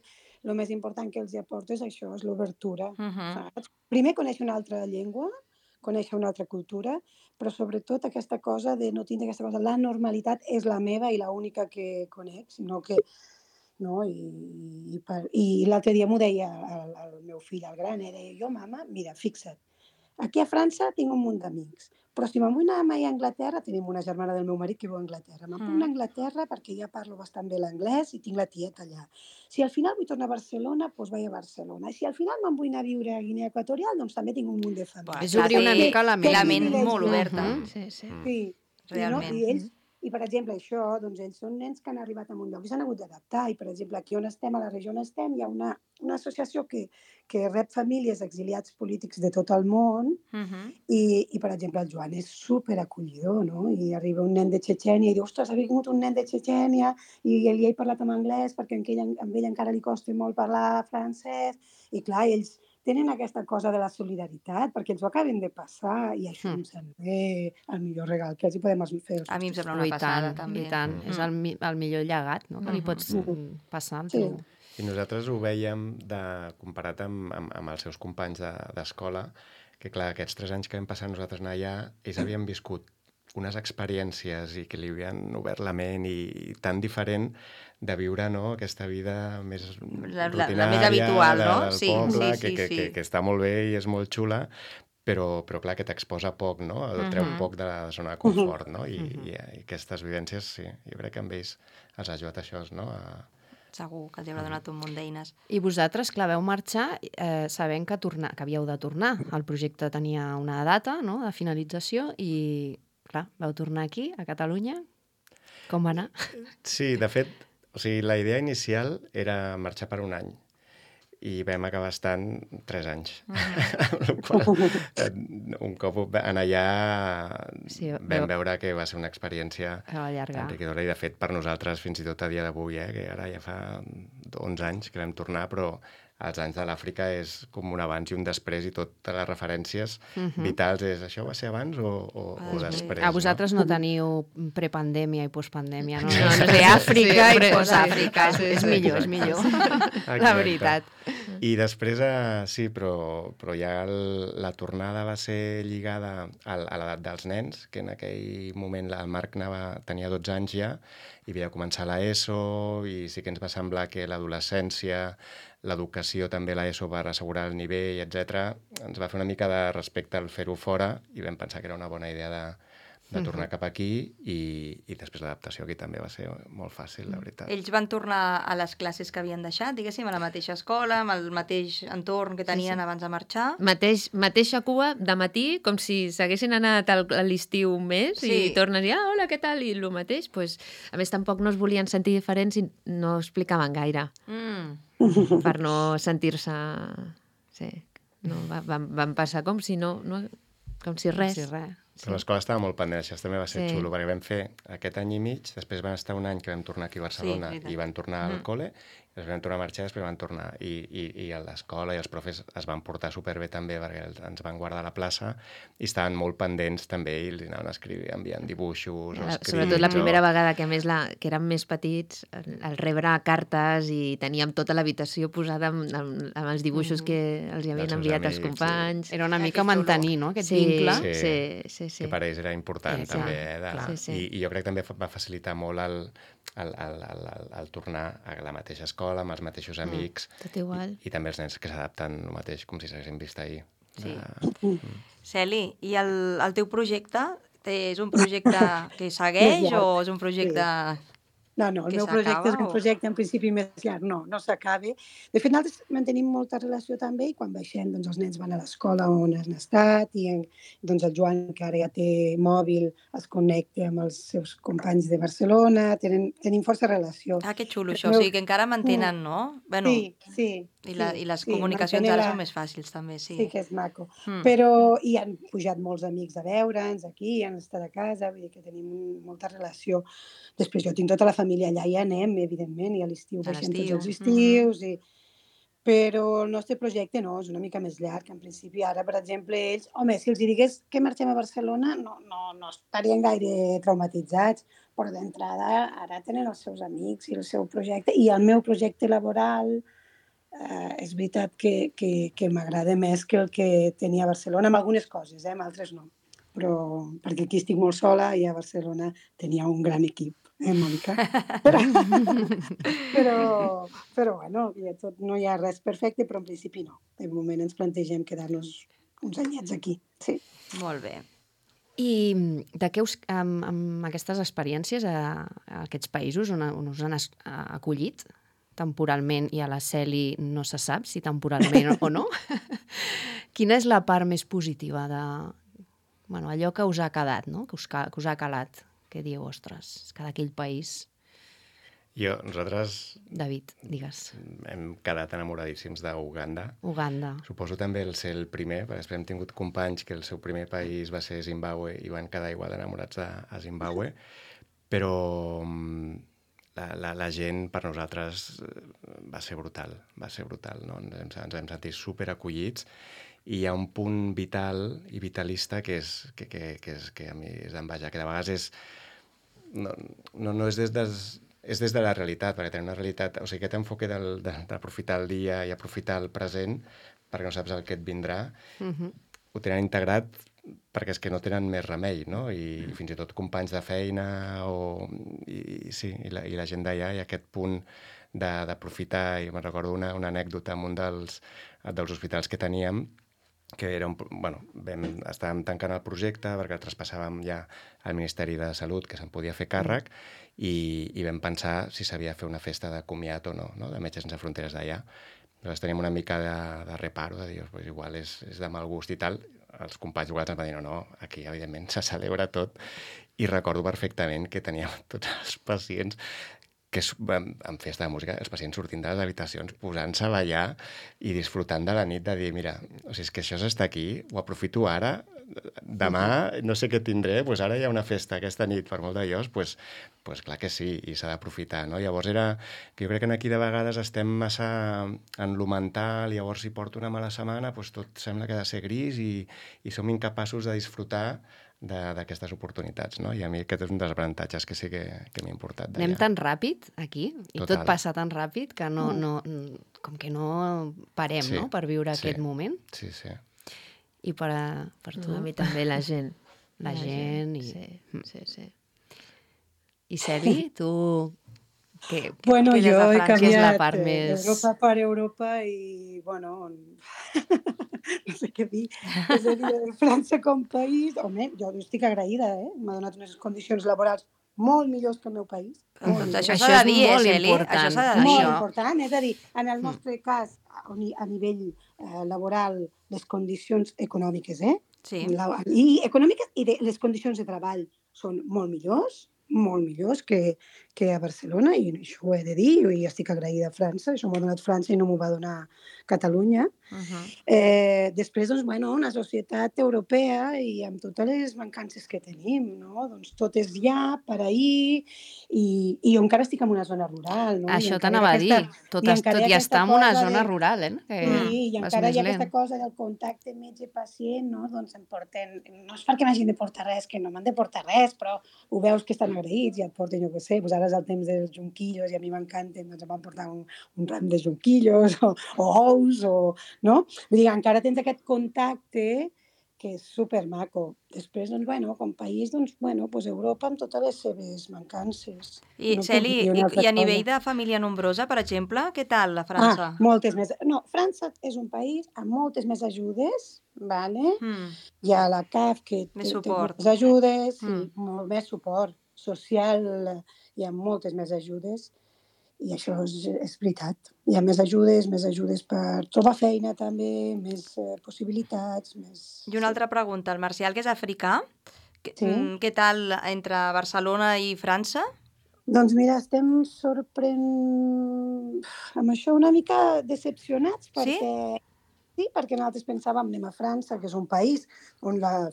el més important que els aporto és això, és l'obertura. Saps? Primer, conèixer una altra llengua, conèixer una altra cultura, però sobretot aquesta cosa de no tindre aquesta cosa. La normalitat és la meva i l'única que conec, sinó que... No? I l'altre dia m'ho deia el meu fill, el gran, deia, jo, mama, mira, fixa't, aquí a França tinc un munt d'amics, però si me'n vull anar mai a Anglaterra, tenim una germana del meu marit que viu a Anglaterra, me'n vull anar a Anglaterra perquè ja parlo bastant bé l'anglès i tinc la tieta allà. Si al final vull tornar a Barcelona, doncs vaig a Barcelona. I si al final me'n vull anar a viure a Guinea Equatorial, doncs també tinc un munt de família. És obrir una mica la ment molt oberta. Sí. Realment. I, per exemple, això, doncs ells són nens que han arribat a un lloc i s'han hagut d'adaptar. I, per exemple, aquí on estem, a la regió on estem, hi ha una associació que rep famílies exiliats polítics de tot el món i, per exemple, el Joan és superacollidor, no? I arriba un nen de Txetxènia i diu, ostres, ha vingut un nen de Txetxènia i li he parlat en anglès perquè amb ell encara li costa molt parlar francès. I, clar, ells tenen aquesta cosa de la solidaritat, perquè ens ho acaben de passar, i això em sembla el millor regal que els hi podem fer. A mi em sembla una passada, també. I tant, és el millor llegat, no?, que li pots passar al teu... I nosaltres ho vèiem comparat amb els seus companys d'escola, que clar, aquests 3 anys que vam passar nosaltres anar allà, ells havien viscut unes experiències i que li havien obert la ment i tan diferent de viure, no?, aquesta vida més rutinària, la més habitual, no? Del poble, que està molt bé i és molt xula, però clar, que t'exposa poc, no? El treu poc de la zona de confort, no? I aquestes vivències, sí, jo crec que amb ells els ha ajudat això, no? Segur que els haurà donat un munt d'eines. I vosaltres, clar, veu marxar sabent que havíeu de tornar. El projecte tenia una data, no?, de finalització i, clar, vau tornar aquí, a Catalunya. Com va anar? Sí, de fet, o sigui, la idea inicial era marxar per un any i vam acabar estant 3 anys. Un cop en allà vam veure que va ser una experiència enriquidora i, de fet, per nosaltres, fins i tot a dia d'avui, que ara ja fa 11 anys que vam tornar, però els anys de l'Àfrica és com un abans i un després, i totes les referències vitals és això va ser abans o després. A vosaltres no teniu prepandèmia i postpandèmia, no? No sé, Àfrica i postàfrica. És millor, la veritat. I després, sí, però ja la tornada va ser lligada a l'edat dels nens, que en aquell moment el Marc tenia 12 anys ja, i havia de començar l'ESO, i sí que ens va semblar que l'adolescència, l'educació també, l'ESO, va assegurar el nivell, etc. Ens va fer una mica de respecte al fer-ho fora i vam pensar que era una bona idea de tornar cap aquí i després l'adaptació aquí també va ser molt fàcil, la veritat. Ells van tornar a les classes que havien deixat, diguéssim, a la mateixa escola, amb el mateix entorn que tenien abans de marxar. Mateixa cua de matí, com si s'haguessin anat a l'estiu un mes i tornes i, hola, què tal? I el mateix, pues, a més tampoc no es volien sentir diferents i no explicaven gaire per no sentir-se... Sí, no, van passar com si no... Com si res. Però l'escola estava molt pendent, això també va ser xulo, perquè vam fer aquest any i mig, després van estar un any que vam tornar aquí a Barcelona i van tornar al col·le, després vam tornar a marxar i després van tornar. I a l'escola i els profes es van portar superbé també perquè ens van guardar a la plaça i estaven molt pendents també i els anaven enviant dibuixos, escrits... Sobretot la primera vegada que a més que érem més petits, al rebre cartes i teníem tota l'habitació posada amb els dibuixos que els havien enviat els companys. Era una mica mantenir, no?, aquest vincle. Sí. Que per ells era important també. I jo crec que també va facilitar molt el tornar a la mateixa escola, amb els mateixos amics. Tot igual. I també els nens que s'adapten el mateix, com si s'haguessin vist ahir. Sí. Celi, i el teu projecte és un projecte que segueix o és un projecte... No, el meu projecte és un projecte en principi més llarg, no s'acaba. De fet, nosaltres mantenim molta relació també i quan baixem, doncs els nens van a l'escola on han estat i doncs el Joan, que ara ja té mòbil, es connecta amb els seus companys de Barcelona, tenim força relació. Que xulo això, o sigui que encara mantenen, no? Bueno, sí. I les comunicacions ara són més fàcils també, sí. Sí, que és maco. Però hi han pujat molts amics a veure'ns aquí, han estat a casa, vull dir que tenim molta relació. Després jo tinc tota la família allà i anem, evidentment, i a l'estiu baixem tots els estius. Però el nostre projecte no, és una mica més llarg. En principi, ara, per exemple, ells... Home, si els digués que marxem a Barcelona, no estarien gaire traumatitzats, però d'entrada ara tenen els seus amics i el seu projecte. I el meu projecte laboral és veritat que m'agrada més que el que tenia a Barcelona, amb algunes coses, amb altres no. Però perquè aquí estic molt sola i a Barcelona tenia un gran equip. Mònica. Però bueno, no hi ha res perfecte, però en principi no. De moment ens plantegem quedar-nos uns anyets aquí. Sí. Molt bé. I de què amb aquestes experiències a aquests països on us han acollit temporalment i a la Celi no se sap si temporalment o no, quina és la part més positiva de allò que us ha quedat, no? Que us ha calat? Que dieu, ostres, que d'aquell país... Nosaltres... David, digues. Hem quedat enamoradíssims d'Uganda. Uganda. Suposo també el ser el primer, perquè després hem tingut companys que el seu primer país va ser Zimbàbue i van quedar igual enamorats a Zimbàbue, però la gent per nosaltres va ser brutal, no? Ens vam sentir superacollits i hi ha un punt vital i vitalista que a mi és d'envejar, que de vegades no és des de la realitat, perquè tenim una realitat, o sigui, aquest enfoque d'aprofitar el dia i aprofitar el present perquè no saps el que et vindrà, ho tenen integrat perquè és que no tenen més remei, no? I fins i tot companys de feina i la gent d'allà, i aquest punt d'aprofitar, i me'n recordo una anècdota en un dels hospitals que teníem, que era estàvem tancant el projecte perquè el traspassàvem ja al Ministeri de Salut, que se'n podia fer càrrec, i vam pensar si s'havia de fer una festa de comiat o no, de Metges Sense Fronteres d'allà. Llavors teníem una mica de reparo, de dir, pues igual és de mal gust i tal. Els companys igual ens van dir, no, aquí evidentment se celebra tot. I recordo perfectament que teníem tots els pacients que en festa de música, els pacients sortint de les habitacions, posant-se a ballar i disfrutant de la nit, de dir, mira, o sigui, és que això s'està aquí, ho aprofito ara, demà no sé què tindré, doncs ara hi ha una festa aquesta nit, per molt d'allòs, doncs clar que sí, i s'ha d'aprofitar, no? Llavors que jo crec que aquí de vegades estem massa en lo mental, llavors si porto una mala setmana, doncs tot sembla que ha de ser gris i som incapaços de disfrutar d'aquestes oportunitats, no? I a mi aquest és un dels avantatges que sí que m'ha importat d'allà. Anem tan ràpid aquí, i tot passa tan ràpid que com que no parem, no?, per viure aquest moment. Sí. I per tu? A mi també la gent. La gent i... Sí. I Celi, tu Bueno, Què des jo de he França? Que és la canviat part més... Europa per Europa i, bueno, no sé què dir. És a dir, França com país, home, jo estic agraïda, m'ha donat unes condicions laborals molt millors que el meu país. Molt Doncs millors. això Això s'ha és de dir, molt Celi? important, Això s'ha de dir. Molt això. important, és a dir, en el nostre cas, a nivell laboral, les condicions econòmiques, Sí. I econòmiques i les condicions de treball són molt millors que a Barcelona, i això ho he de dir, jo hi estic agraïda a França, això m'ho ha donat França i no m'ho va donar Catalunya. Després, doncs, bueno, una societat europea i amb totes les mancances que tenim, no? Doncs tot és ja, per ahir, i jo encara estic en una zona rural, no? Això t'anava a dir, tot i estar en una zona rural, Sí, i encara hi ha aquesta cosa del contacte metge-pacient, no? Doncs em porten... No és perquè m'hagin de portar res, que no m'han de portar res, però ho veus que estan agraïts i et porten, jo què sé, doncs ara és el temps dels jonquillos i a mi m'encanten, doncs em van portar un ram de jonquillos o ous, no? Vull dir, encara tens aquest contacte que és supermaco. Després, doncs, bueno, com país, doncs, bueno, doncs Europa amb totes les seves mancances. I, No puc Celi, dir una altra i a nivell cosa. de família nombrosa, per exemple, què tal a França? Moltes més. No, França és un país amb moltes més ajudes, vale? Hi ha la CAF que Més té suport. moltes ajudes, sí, molt més suport social, hi ha moltes més ajudes, i això és veritat. Hi ha més ajudes per trobar feina també, més possibilitats, més... I una altra pregunta, el Marcial, que és africà, Sí. Què tal entre Barcelona i França? Doncs mira, estem amb això una mica decepcionats, perquè perquè nosaltres pensàvem anem a França, que és un país on la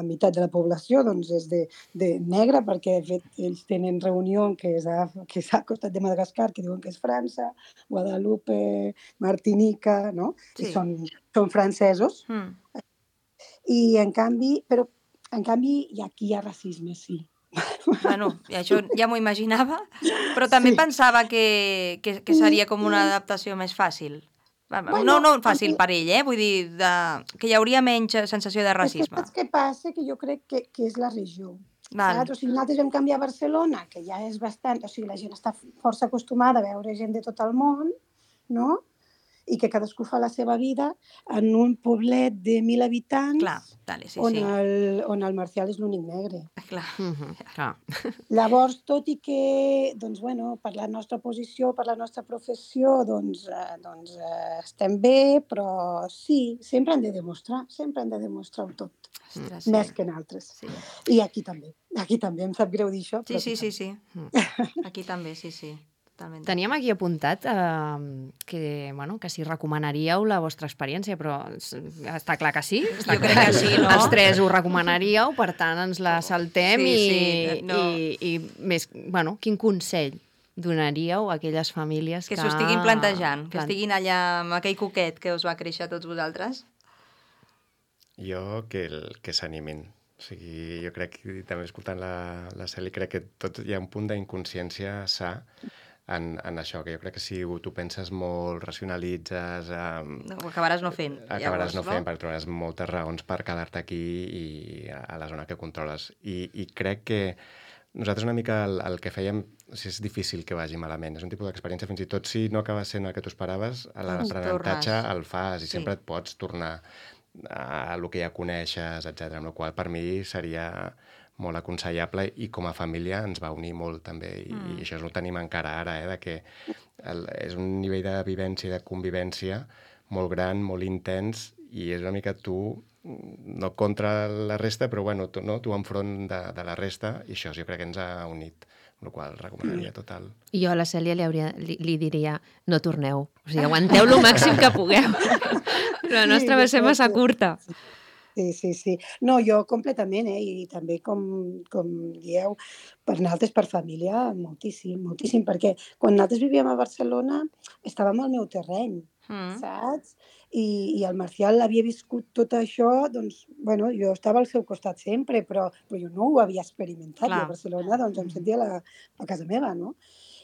meitat de la població doncs, és de negra, perquè de fet ells tenen reunió que és al costat de Madagascar, que diuen que és França, Guadalupe, Martinica, no? Sí. I són francesos. I en canvi, aquí hi ha racisme, sí. Bueno, això ja m'ho imaginava, però també pensava que seria com una adaptació més fàcil. No fàcil per ell, vull dir, que hi hauria menys sensació de racisme. És que saps què passa? Que jo crec que és la regió. Val. Saps? O sigui, nosaltres vam canviar a Barcelona, que ja és bastant... O sigui, la gent està força acostumada a veure gent de tot el món, no? I que cadascú fa la seva vida en un poblet de 1.000 habitants. Clar, dale, sí. On el Marcial és l'únic negre. Clar. Clar. Llavors, tot i que, doncs, bueno, per la nostra posició, per la nostra professió, doncs estem bé, però sí, sempre han de demostrar-ho tot. Ostres, Més que en altres. Sí. I aquí també, em sap greu dir això. Però Sí. Aquí també, sí. Totalment. Teníem aquí apuntat que si recomanaríeu la vostra experiència, però està clar que sí. Jo crec que sí, no? Els tres ho recomanaríeu, per tant ens la saltem i més, bueno, quin consell donaríeu a aquelles famílies que s'ho estiguin plantejant, que estiguin allà amb aquell coquet que us va créixer a tots vosaltres? Jo que s'animin. O sigui, jo crec que també escoltant la Celi, crec que tot hi ha un punt d'inconsciència sa en això, que jo crec que si tu penses molt, racionalitzes... Ho acabaràs no fent. Acabaràs no fent, perquè trobaràs moltes raons per quedar-te aquí i a la zona que controles. I crec que nosaltres una mica el que fèiem, és difícil que vagi malament. És un tipus d'experiència, fins i tot si no acaba sent el que tu esperaves, l'aprenentatge el fas i sempre et pots tornar a el que ja coneixes, etc. Amb la qual per mi seria molt aconsellable i com a família ens va unir molt també i això ho tenim encara ara, de que és un nivell de vivència i de convivència molt gran, molt intens i és una mica tu no contra la resta, però bueno, tu enfront de la resta i això jo crec que ens ha unit, amb la qual recomanaria total. I jo a la Cèlia li diria no torneu, o sigui, aguanteu lo màxim que pugueu. La nostra va ser massa curta. Sí. No, jo completament, i també, com dieu, per nosaltres, per família, moltíssim, perquè quan nosaltres vivíem a Barcelona estàvem al meu terreny, saps? I el Marcial havia viscut tot això, doncs, bueno, jo estava al seu costat sempre, però jo no ho havia experimentat. Jo a Barcelona, doncs, em sentia a casa meva, no?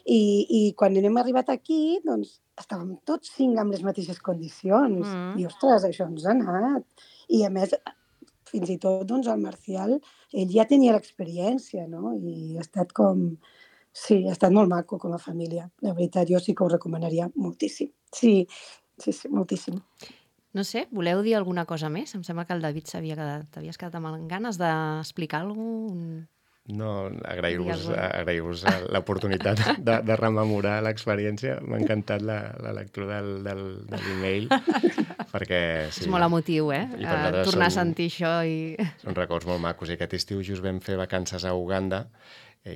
I quan hem arribat aquí, doncs, estàvem tots 5 amb les mateixes condicions. I, ostres, això ens ha anat. I, a més, fins i tot, doncs, el Marcial, ell ja tenia l'experiència, no? I ha estat com Sí, ha estat molt maco com a família. La veritat, jo sí que ho recomanaria moltíssim. Sí, moltíssim. No sé, voleu dir alguna cosa més? Em sembla que el David t'havies quedat amb ganes d'explicar alguna cosa. No, agrair-vos l'oportunitat de rememorar l'experiència. M'ha encantat la lectura de l'email, perquè... Sí, és molt emotiu, tornar a sentir això. Són records molt macos. I aquest estiu just vam fer vacances a Uganda,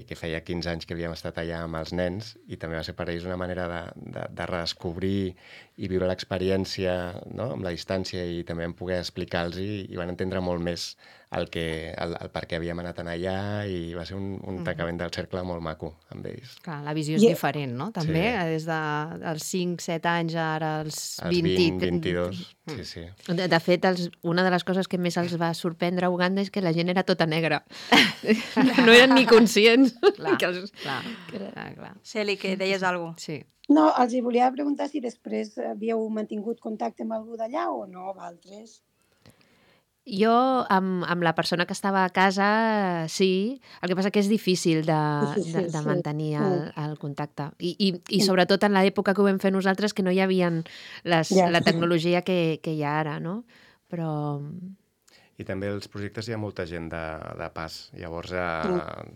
que feia 15 anys que havíem estat allà amb els nens, i també va ser per ells una manera de redescobrir i viure l'experiència, no?, amb la distància, i també vam poder explicar-los i van entendre molt més el per què havíem anat allà, i va ser un tancament del cercle molt maco amb ells. Clar, la visió és diferent, no? També, des dels 5-7 anys ara als 20... 22, sí. De fet, una de les coses que més els va sorprendre a Uganda és que la gent era tota negra. No eren ni conscients. Clar. Celi, que deies alguna cosa. Sí. No, els volia preguntar si després havíeu mantingut contacte amb algú d'allà o no, amb altres. Jo, amb la persona que estava a casa, sí. El que passa que és difícil de mantenir el contacte. I sobretot en l'època que ho vam fer nosaltres, que no hi havia la tecnologia que hi ha ara, no? Però... I també als projectes hi ha molta gent de pas. Llavors,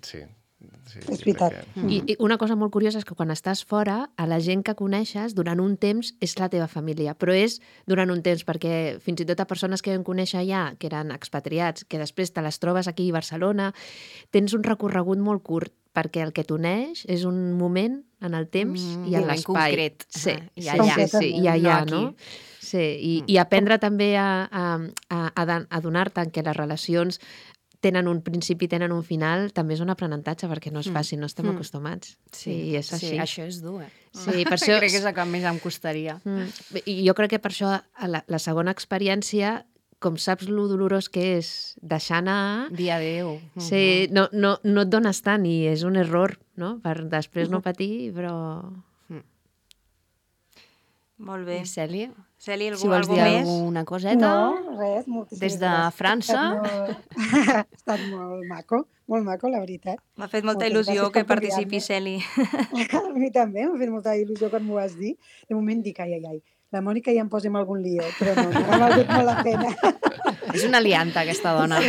sí. És veritat. I una cosa molt curiosa és que quan estàs fora, a la gent que coneixes durant un temps és la teva família, però és durant un temps, perquè fins i tot a persones que vam conèixer allà, que eren expatriats, que després te les trobes aquí a Barcelona, tens un recorregut molt curt, perquè el que t'uneix és un moment en el temps i en l'espai. Concret. Sí, i allà. Sí, i allà, no? Sí, i aprendre també a adonar-te que les relacions tenen un principi, tenen un final, també és un aprenentatge, perquè no és fàcil, no estem acostumats. Sí, és així. Sí, això és dur, Sí, per això... Crec que és el que més em costaria. I jo crec que per això la segona experiència, com saps lo dolorós que és deixar anar... Dir adéu. Sí, no et dones tant i és un error, no? Per després no patir, però... Molt bé. I Cèlia? Cèlia, Si vols dir alguna coseta? No, res, moltíssimes Des de França? Ha estat molt maco, la veritat. M'ha fet molta Moltes il·lusió gràcies que per participi, Celi. A mi també, m'ha fet molta il·lusió quan m'ho vas dir. De moment dic, ai, la Mònica ja em posa en algun lío, però no, m'ha valgut molt la pena. És una alianta, aquesta dona.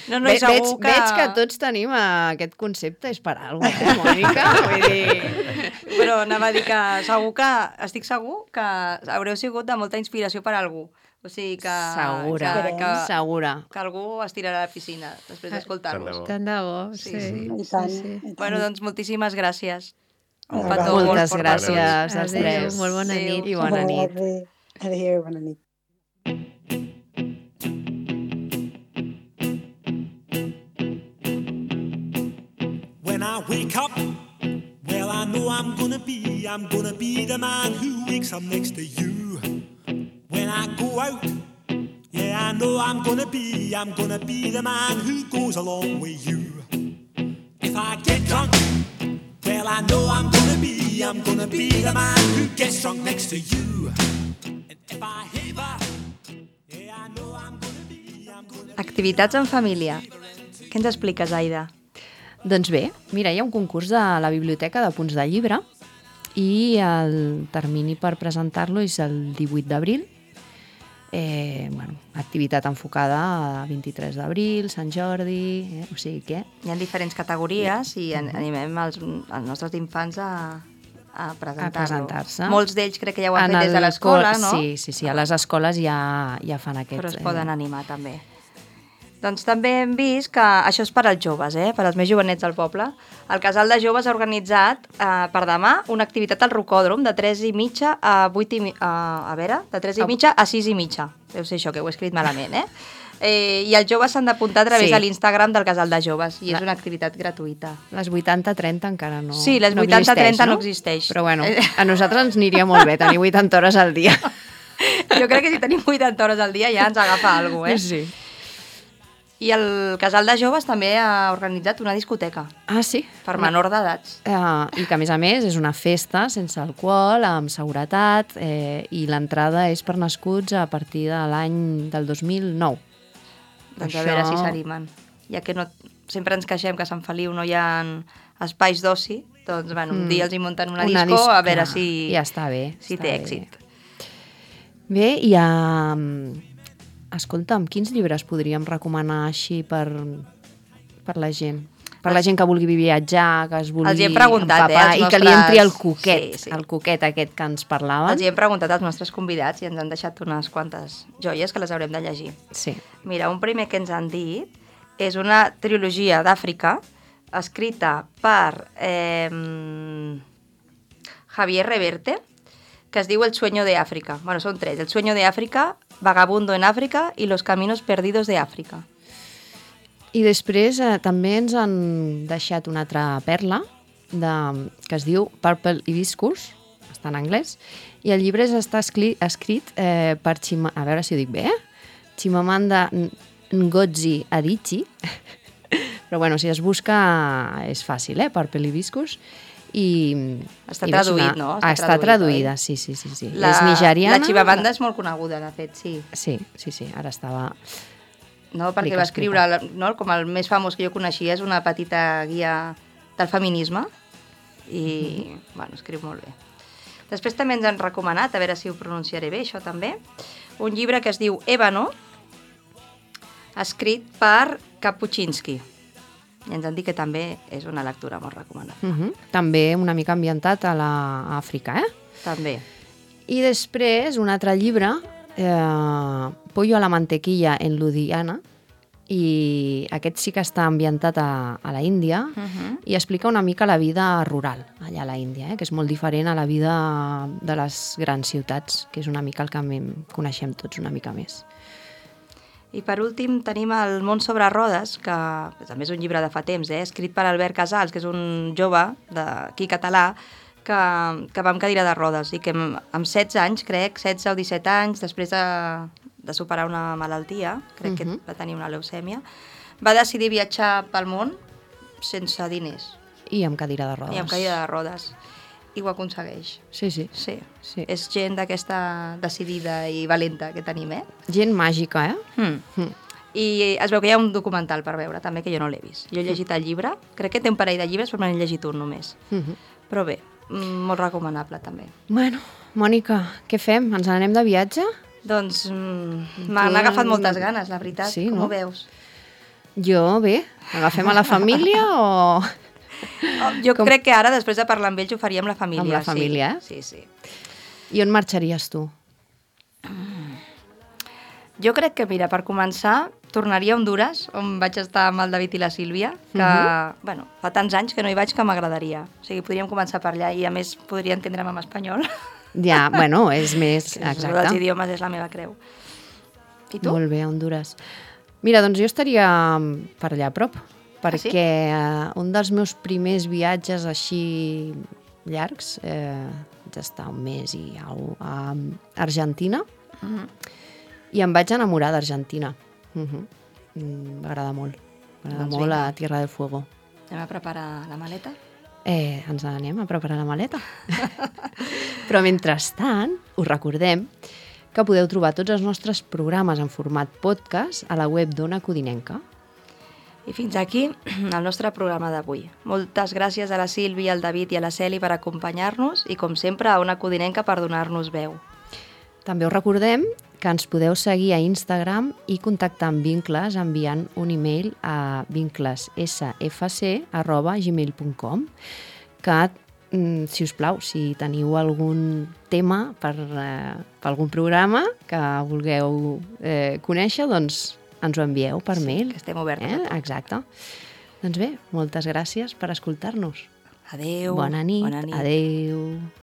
No, i segur que... Veig que tots tenim aquest concepte, és per alguna cosa, Mònica? Vull dir... Però anava a dir que estic segur que haureu sigut de molta inspiració per a algú. O sigui que... Segura. Que algú es tirarà a la piscina després d'escoltar-vos. Tant de bo, sí. I tant. Bueno, doncs moltíssimes gràcies. Un petó Moltes molt gràcies als Adéu, tres. molt bona nit. I bona nit. Adéu, bona nit. When I wake up, well, I know I'm gonna be the man who wakes up next to you. When I go out, yeah, I know I'm gonna be the man who goes along with you. If I get drunk, well, I know I'm gonna be the man who gets drunk next to you. And if I haver, yeah, I know I'm gonna be Activitats en família. Què ens expliques, Aida? Doncs bé, mira, hi ha un concurs de la Biblioteca de Punts de Llibre i el termini per presentar-lo és el 18 d'abril. Activitat enfocada a 23 d'abril, Sant Jordi, o sigui que... Hi ha diferents categories i animem els nostres infants a presentar-se. Molts d'ells crec que ja ho han fet des de l'escola, no? Sí, a les escoles ja fan aquest... Però es poden animar també. Doncs també hem vist que això és per als joves, per als més jovenets del poble. El Casal de Joves ha organitzat per demà una activitat al Rocòdrom de 3:30 a 8:30, de 3:30 a 6:30. Deu ser això, que ho he escrit malament, I els joves s'han d'apuntar a través de l'Instagram del Casal de Joves i és una activitat gratuïta. Les 80-30 encara no. Sí, les 80-30 no existeix. Però bueno, a nosaltres ens aniria molt bé tenir 80 hores al dia. Jo crec que si tenim 80 hores al dia ja ens agafa alguna cosa, Sí. I el Casal de Joves també ha organitzat una discoteca. Ah, sí? Per menor d'edats. I que, a més, és una festa sense alcohol, amb seguretat, i l'entrada és per nascuts a partir de l'any del 2009. Doncs a veure si s'animen. Ja que sempre ens queixem que a Sant Feliu no hi ha espais d'oci, doncs, bueno, un dia els hi munten una Una disco, a veure clar, si, ja està bé, si està té bé. èxit. Bé, i escolta'm, quins llibres podríem recomanar així per la gent? Per la gent que vulgui viatjar, que es vulgui Els hi hem preguntat, empapar als i que li entri el nostres- coquet, sí. el coquet aquest que ens parlaven. Els hi hem preguntat als nostres convidats i ens han deixat unes quantes joies que les haurem de llegir. Sí. Mira, un primer que ens han dit és una trilogia d'Àfrica escrita per Javier Reverte, que es diu El sueño de África. Bueno, són tres. El sueño de África, Vagabundo en África i Los caminos perdidos de África. I després també ens han deixat una altra perla que es diu Purple Hibiscus, està en anglès, i el llibre està escrit per a veure si ho dic bé, Chimamanda Ngozi Adichie, però bueno, si es busca és fàcil, Purple Hibiscus, i... Està i traduït, no? Està traduïda, oi? sí. La, És nigeriana. La Chimamanda és molt coneguda, de fet, sí. Sí, ara estava... No, perquè Dic, va escriure, no, com el més famós que jo coneixia, és una petita guia del feminisme i, bueno, escriu molt bé. Després també ens han recomanat, a veure si ho pronunciaré bé, això també, un llibre que es diu Ébano, escrit per Kapuscinski. I ens han dit que també és una lectura molt recomanable. També una mica ambientat a l'Àfrica, També. I després, un altre llibre, Pollo a la mantequilla en Ludhiana, i aquest sí que està ambientat a la Índia i explica una mica la vida rural allà a la Índia, que és molt diferent a la vida de les grans ciutats, que és una mica el que coneixem tots una mica més. I per últim tenim El món sobre rodes, que també és un llibre de fa temps, escrit per Albert Casals, que és un jove d'aquí català, que va amb cadira de rodes i que amb 16 anys, crec, 16 o 17 anys, després de superar una malaltia, crec que va tenir una leucèmia, va decidir viatjar pel món sense diners. I amb cadira de rodes. I amb cadira de rodes. I ho aconsegueix. Sí. Sí. És gent d'aquesta decidida i valenta que tenim, Gent màgica, I es veu que hi ha un documental per veure, també, que jo no l'he vist. Jo he llegit el llibre, crec que té un parell de llibres, però me n'he llegit un només. Però bé, molt recomanable, també. Bueno, Mònica, què fem? Ens n'anem de viatge? Doncs m'han agafat moltes ganes, la veritat. Sí, com no? ho veus? Jo, bé. Agafem a la família o...? Jo crec que ara, després de parlar amb ells, ho faria amb la família. Amb la família, Sí. I on marxaries tu? Jo crec que, mira, per començar, tornaria a Hondures, on vaig estar amb el David i la Sílvia, que, bueno, fa tants anys que no hi vaig que m'agradaria. O sigui, podríem començar per allà i, a més, podria entendre'm en espanyol. Ja, bueno, és més... Exacte. Els idiomes és la meva creu. I tu? Molt bé, Hondures. Mira, doncs jo estaria per allà a prop, perquè un dels meus primers viatges així llargs, vaig estar un mes i a Argentina, i em vaig enamorar d'Argentina. M'agrada molt. M'agrada molt a Tierra del Fuego. Anem a preparar la maleta? Ens anem a preparar la maleta. Però mentrestant, us recordem que podeu trobar tots els nostres programes en format podcast a la web d'Ona Codinenca. I fins aquí el nostre programa d'avui. Moltes gràcies a la Sílvia, al David i a la Celi per acompanyar-nos i, com sempre, a Ona Codinenca per donar-nos veu. També us recordem que ens podeu seguir a Instagram i contactar amb Vincles enviant un e-mail a vinclessfc@gmail.com, que, si us plau, si teniu algun tema per algun programa que vulgueu conèixer, doncs ens ho envieu per mail. Que estem obertes a tot. Exacte. Doncs bé, moltes gràcies per escoltar-nos. Adéu. Bona nit. Adéu.